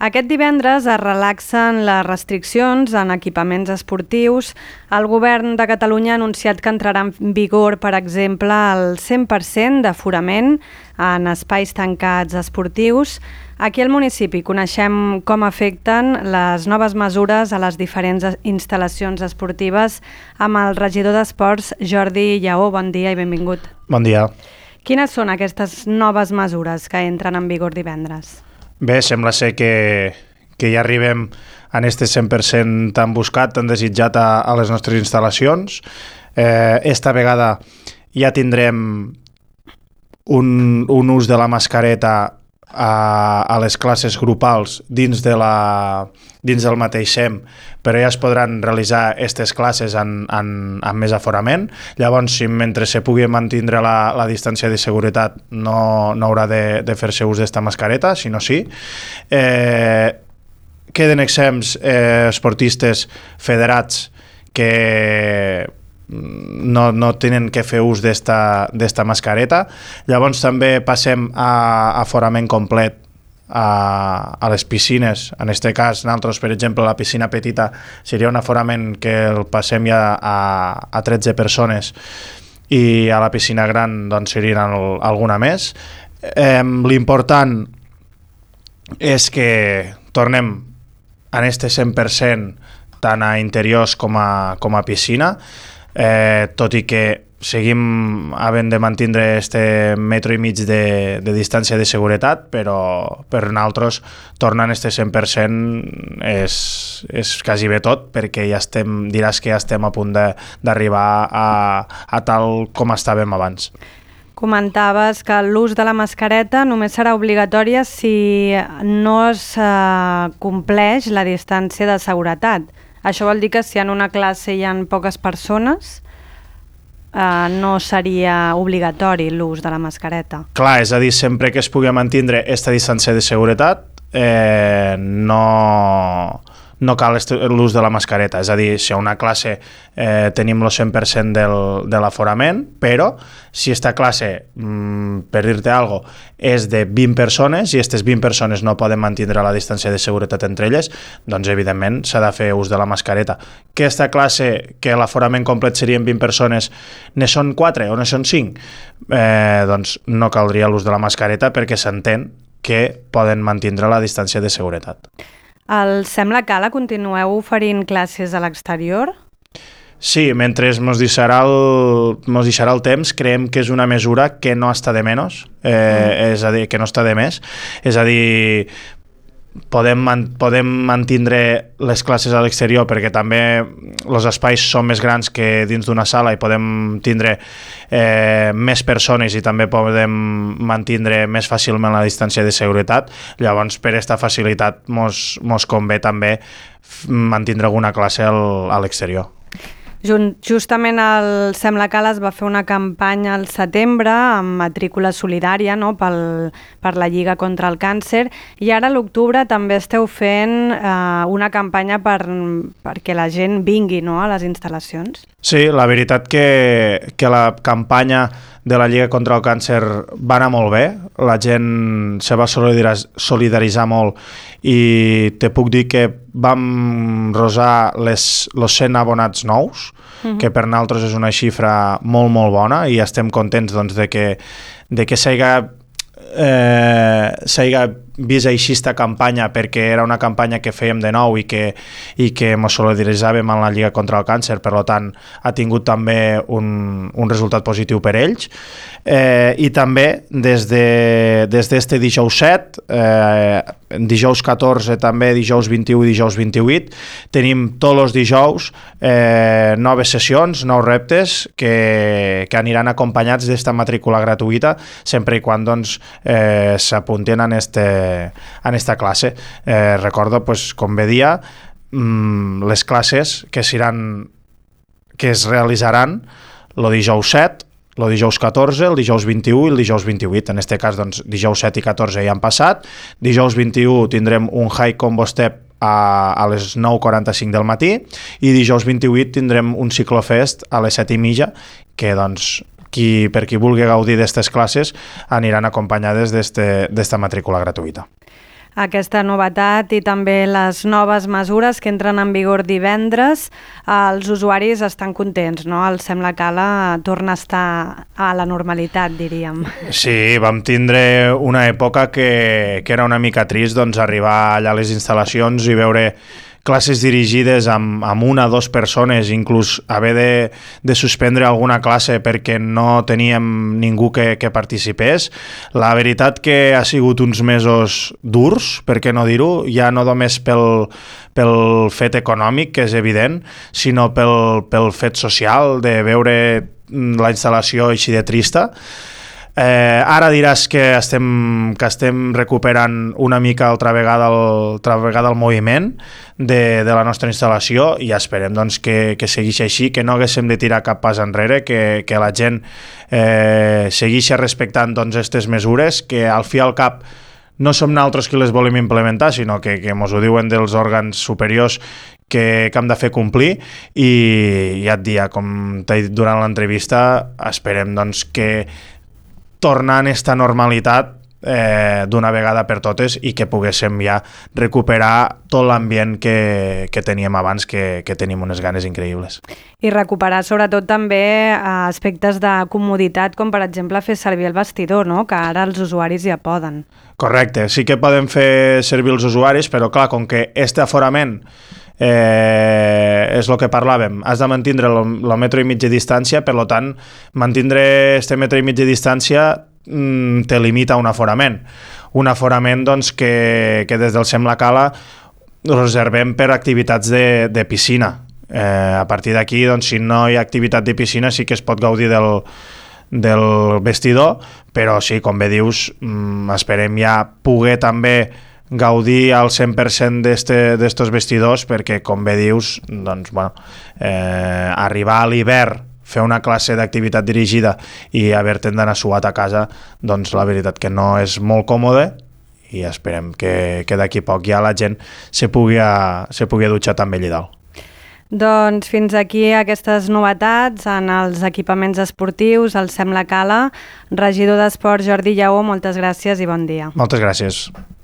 Aquest divendres es relaxen les restriccions en equipaments esportius. El govern de Catalunya ha anunciat que entrarà en vigor, per exemple, el 100% d'aforament en espais tancats esportius. Aquí al municipi coneixem com afecten les noves mesures a les diferents instal·lacions esportives amb el regidor d'Esports, Jordi Lleó. Bon dia i benvingut. Bon dia. Quines són aquestes noves mesures que entren en vigor divendres? Bé, sembla ser que ja arribem en este 100% tan buscat, tan desitjat a les nostres instal·lacions. Esta vegada ja tindrem un ús de la mascareta a les classes grupals dins del mateix SEM, però ja es podran realitzar aquestes classes amb més aforament. Llavors, si mentre se pugui mantenir la distància de seguretat no haurà de fer-se ús d'esta mascareta, sinó sí. Queden exempts esportistes federats que no tenen que fer ús d'esta mascareta. Llavors també passem a aforament complet a les piscines. En aquest cas, nosaltres, per exemple, la piscina petita seria un aforament que el passem ja a 13 persones i a la piscina gran doncs, serien alguna més. L'important és que tornem en este 100% tant a interiors com a piscina, tot i que seguim havent de mantenir este metro i mig de distància de seguretat, però per nosaltres tornar a este 100% és quasi bé tot, perquè diràs que ja estem a punt d'arribar a tal com estàvem abans. Comentaves que l'ús de la mascareta només serà obligatòria si no es compleix la distància de seguretat. Això vol dir que si en una classe hi ha poques persones no seria obligatori l'ús de la mascareta. Clar, és a dir, sempre que es pugui mantenir aquesta distància de seguretat no cal l'ús de la mascareta. És a dir, si a una classe tenim el 100% de l'aforament, però si aquesta classe, per dir-te alguna cosa, és de 20 persones i aquestes 20 persones no poden mantenir la distància de seguretat entre elles, doncs evidentment s'ha de fer ús de la mascareta. Que aquesta classe, que l'aforament complet serien 20 persones, ne són 4 o ne són 5? Doncs no caldria l'ús de la mascareta perquè s'entén que poden mantenir la distància de seguretat. Al Sembla Cala continueu oferint classes a l'exterior? Sí, mentre mos deixarà el temps, creiem que és una mesura que no està de menys, és a dir, que no està de més. És a dir, podem mantenir les classes a l'exterior perquè també els espais són més grans que dins d'una sala i podem tindre més persones i també podem mantenir més fàcilment la distància de seguretat. Llavors, per aquesta facilitat mos convé també mantenir alguna classe a l'exterior. Justament al Sembla Cala es va fer una campanya al setembre amb matrícula solidària, no? per la Lliga contra el Càncer, i ara a l'octubre també esteu fent una campanya perquè la gent vingui, no? a les instal·lacions. Sí, la veritat que la campanya de la Lliga contra el Càncer va anar molt bé, la gent se va solidaritzar molt i te puc dir que vam rosar els 100 abonats nous, que per nosaltres és una xifra molt, molt bona i estem contents doncs, de que s'hagi vist així esta campanya, perquè era una campanya que fèiem de nou i que ens solidaritzàvem amb la Lliga contra el Càncer, per tant ha tingut també un resultat positiu per ells. I també des d'este dijous 7, dijous 14 també, dijous 21 i dijous 28, tenim tots els dijous noves sessions, nous reptes que aniran acompanyats d'esta matrícula gratuïta sempre i quan doncs, s'apunten en esta classe. Recordo, pues, com bé dia, les classes que es realitzaran el dijous 7, el dijous 14, el dijous 21 i el dijous 28. En aquest cas, doncs, dijous 7 i 14 ja han passat. Dijous 21 tindrem un high combo step a les 9:45 del matí i dijous 28 tindrem un ciclofest a les 7:30 que, doncs, per qui vulgui gaudir d'aquestes classes aniran acompanyades d'esta matrícula gratuïta. aquesta novetat i també les noves mesures que entren en vigor divendres. Els usuaris estan contents, no? El Sembla Cala torna a estar a la normalitat, diríem. Sí, vam tindre una època que era una mica trist, doncs, arribar allà a les instal·lacions i veure classes dirigides amb una o dues persones, inclús haver de suspendre alguna classe perquè no teníem ningú que participés. La veritat que ha sigut uns mesos durs, per què no dir-ho, ja no només pel fet econòmic, que és evident, sinó pel fet social, de veure la instal·lació així de trista. Ara diràs que estem recuperant una mica altra vegada el moviment de la nostra instal·lació i esperem doncs, que segueixi així, que no haguéssim de tirar cap pas enrere, que la gent segueixi respectant doncs, aquestes mesures, que al fi i al cap no som nosaltres qui les volem implementar, sinó que ens ho diuen dels òrgans superiors que hem de fer complir, i ja et dia, com t'he dit durant l'entrevista, esperem doncs, que tornant a esta normalitat d'una vegada per totes i que poguéssim ja recuperar tot l'ambient que teníem abans, que tenim unes ganes increïbles. I recuperar sobretot també aspectes de comoditat, com per exemple fer servir el vestidor, no? Que ara els usuaris ja poden. Correcte, sí que poden fer servir els usuaris, però clar, com que este aforament és el que parlàvem, has de mantindre el metre i mig de distància, per tant, mantindre este metre i mig de distància te limita un aforament doncs, que des del Sembla Cala reservem per activitats de piscina. A partir d'aquí, doncs, si no hi ha activitat de piscina, sí que es pot gaudir del vestidor, però sí, com bé dius, esperem ja poder també gaudir al 100% d'estos vestidors, perquè, com bé dius, doncs, bueno, arribar a l'hivern, fer una classe d'activitat dirigida i haver-te'n d'anar suat a casa, doncs la veritat que no és molt còmode, i esperem que d'aquí poc ja la gent se pugui dutxar també allà dalt. Doncs fins aquí aquestes novetats en els equipaments esportius, el Sembla Cala. Regidor d'Esports Jordi Lleó, moltes gràcies i bon dia. Moltes gràcies.